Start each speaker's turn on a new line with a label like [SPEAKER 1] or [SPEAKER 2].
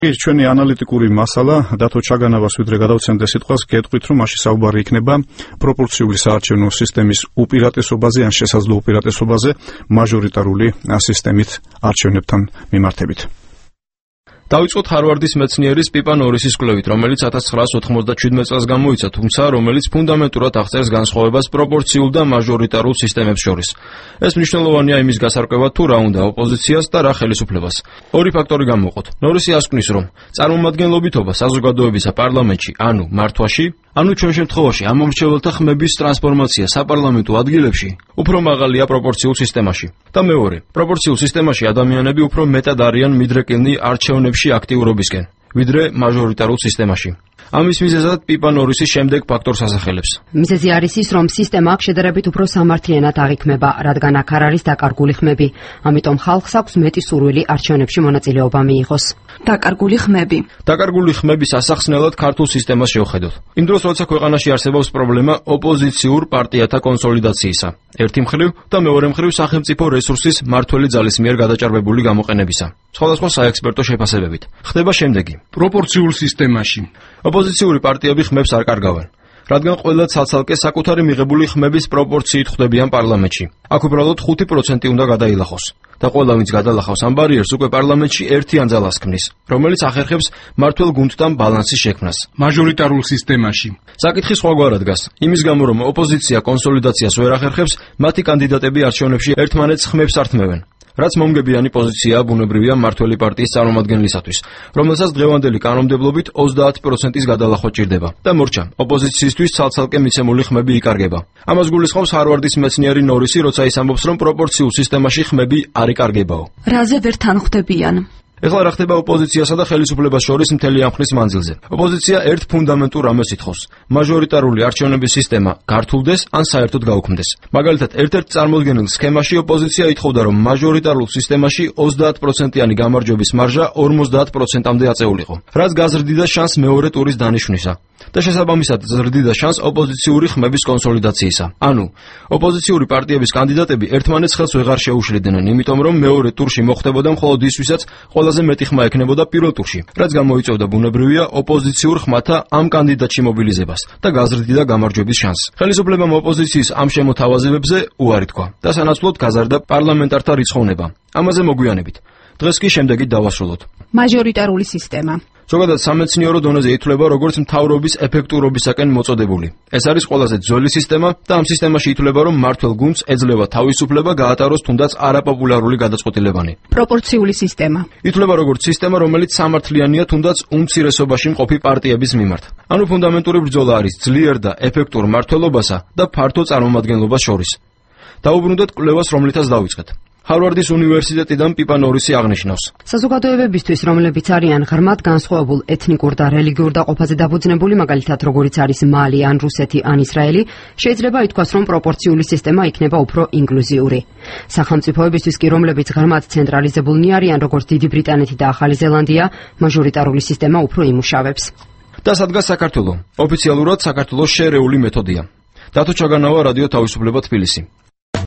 [SPEAKER 1] ჩვენი ანალიტიკური მასალა დათო ჩაგანავას ვიდრე გადავცემდე სიტყვას გეტყვით, რომ მაშინ საუბარი იქნება პროპორციული საარჩევნო სისტემის უპირატესობაზე ან შესაძლო უპირატესობაზე მაჟორიტარული სისტემით არჩევნებთან მიმართებით.
[SPEAKER 2] დავიწყოთ ჰარვარდის მეცნიერის პიპა ნორისის კვლევით, რომელიც 1997 წელს გამოიცა, თუმცა რომელიც ფუნდამენტურად აღწერს განსხვავებას პროპორციულ და მაჟორიტარულ სისტემებს შორის. ეს მნიშვნელოვანია იმის გასარკვევად, თუ რა უნდა ოპოზიციას და რა ხელისუფლებას. ორი ფაქტორი გამოვყოთ. ნორისი ასკვნის, რომ წარმომადგენლობითობა საზოგადოებისა პარლამენტში, ანუ მართვაში, ანუ ჩვენ შემთხვევაში ამომრჩეველთა ხმების ტრანსფორმაცია საპარლამენტო ადგილებში უფრო მაღალია პროპორციულ სისტემაში. და მეორე, პროპორციულ სისტემაში ადამიანები უფრო მეტად არიან მიდრეკილნი არჩევნებში აქტიურობისკენ, ვიდრე მაჟორიტარულ სისტემაში. ამის მიზეზად პიპა ნორისი შემდეგ ფაქტორს ასახელებს.
[SPEAKER 3] მიზეზი არის ის, რომ სისტემა აქ შედარებით უფრო სამართლიანად აღიქმება, რადგან აქ არ არის დაკარგული ხმები. ამიტომ ხალხს აქვს მეტი სურვილი არჩევნებში მონაწილეობა მიიღოს.
[SPEAKER 2] დაკარგული ხმების ასახსნელად ქართულ სისტემას შევხედოთ. იმ დროს, როცა ქვეყანაში არსებობს პრობლემა ოპოზიციურ პარტიათა კონსოლიდაციისა, ერთი მხრივ და მეორე მხრივ სახელმწიფო რესურსის მართველი ძალის მიერ გადაჭარბებული გამოყენებისა. სხვადასხვა საექსპერტო შეფასებებით. ხდება შემდეგი.
[SPEAKER 4] პროპორციულ სისტემაში
[SPEAKER 2] ოპოზიციური პარტიები ხმებს არ კარგავენ, რადგან ყველა ცალ-ცალკე საკუთარი მიღებული ხმების პროპორციით ხვდებიან პარლამენტში. აქ უბრალოდ 5% უნდა გადაილახოს და ყველა ვინც გადალახავს ამ ბარიერს უკვე პარლამენტში ერთიან ძალას ქმნის, რომელიც ახერხებს მართლ გუნდთან ბალანსის შექმნას.
[SPEAKER 4] მაჟორიტარულ სისტემაში
[SPEAKER 2] საკითხი სხვაგვარად დგას. იმის გამო, რომ ოპოზიცია კონსოლიდაციას ვერ ახერხებს, მათი კანდიდატები არჩევნებში ერთმანეთს ხმებს ართმევენ. რაც მომგებიანი პოზიციაა ბუნებრივია მართველი პარტიის წარმომადგენლისათვის, რომელსაც დღევანდელი კანონმდებლობით 30%-ის გადალახვა ჭირდება და მორჩა ოპოზიციისთვის ცალ-ცალკე მიცემული ხმები იკარგება. ამას გულისხმობს ჰარვარდის მეცნიერი ნორისი, როცა ის ამბობს, რომ პროპორციულ სისტემაში ხმები არ იკარგებაო.
[SPEAKER 5] რაზე ვერ თანხმდებიან?
[SPEAKER 2] ეხლა რა ხდება ოპოზიციასა და ხელისუფლებას შორის მთელი ამ ხნის მანძილზე. ოპოზიცია ერთ ფუნდამენტურ რამეს ითხოვს: მაჟორიტარული არჩევნების სისტემა გართულდეს ან საერთოდ გაუქმდეს. მაგალითად, ერთ-ერთ წარმოდგენილ სქემაში ოპოზიცია ითხოვდა, რომ მაჟორიტარულ სისტემაში 30%-იანი გამარჯვების მარჟა 50%-მდე აწეულიყო, რაც გაზრდიდა შანსს მეორე ტურის დანიშვნისა და შესაბამისად ზრდიდა შანსს ოპოზიციური ხმების კონსოლიდაციისა. ანუ, ოპოზიციური პარტიების კანდიდატები ერთმანეთს ხელს ვეღარ შეუშლიდნენ, იმიტომ რომ მეორე ტურში მოხდებოდა მხოლოდ ის, ვისაც ყველაზე მეტი ხმა ექნებოდა პირველ ტურში, რაც გამოიწვევდა ბუნებრივია ოპოზიციურ ხმათა ამ კანდიდატში მობილიზებას და გაზრდიდა გამარჯვების შანსს. ხელისუფლებამ ოპოზიციის ამ შემოთავაზებებზე უარი თქვა და სანაცვლოდ გაზარდა პარლამენტართა რიცხოვნება. ამაზე მოგვიანებით. დღეს კი შემდეგით დავასრულოთ.
[SPEAKER 5] მაჟორიტარული სისტემა.
[SPEAKER 2] ზოგადად სამეცნიერო დონეზე ითვლება როგორც მთავრობის ეფექტურობისაკენ მოწოდებული. ეს არის ყველაზე ძველი სისტემა და ამ სისტემაში ითვლება, რომ მართლ გუნდს ეძლევა თავისუფლება გაატაროს თუნდაც არაპოპულარული გადაწყვეტილებანი.
[SPEAKER 5] პროპორციული სისტემა.
[SPEAKER 2] ითვლება როგორც სისტემა, რომელიც სამართლიანია თუნდაც უმცირესობაში მყოფი პარტიების მიმართ. ანუ ფუნდამენტური ბრძოლა არის ძლიერ და ეფექტურ მმართველობასა და ფართო წარმომადგენლობას შორის. დაუბრუნდეთ კვლევას, რომლითაც დავიწყეთ. ჰარვარდის უნივერსიტეტიდან პიპა ნორისი აღნიშნავს:
[SPEAKER 3] საზოგადოებებისთვის, რომლებიც არიან ღრმად განსხვავებულ ეთნიკურ და რელიგიურ დაყოფაზე დაფუძნებული, მაგალითად როგორიც არის მალი, ან რუსეთი, ან ისრაელი, შეიძლება ითქვას, რომ პროპორციული სისტემა იქნება უფრო ინკლუზიური. სახელმწიფოებისთვის კი, რომლებიც ღრმად ცენტრალიზებულნი არიან, როგორც დიდი ბრიტანეთი და ახალი ზელანდია, მაჟორიტარული სისტემა უფრო იმუშავებს.
[SPEAKER 2] და სადგას საქართველო. ოფიციალურად საქართველოს შერეული მეთოდია. დათო ჩაგანავა, რადიო თავისუფლება, თბილისი.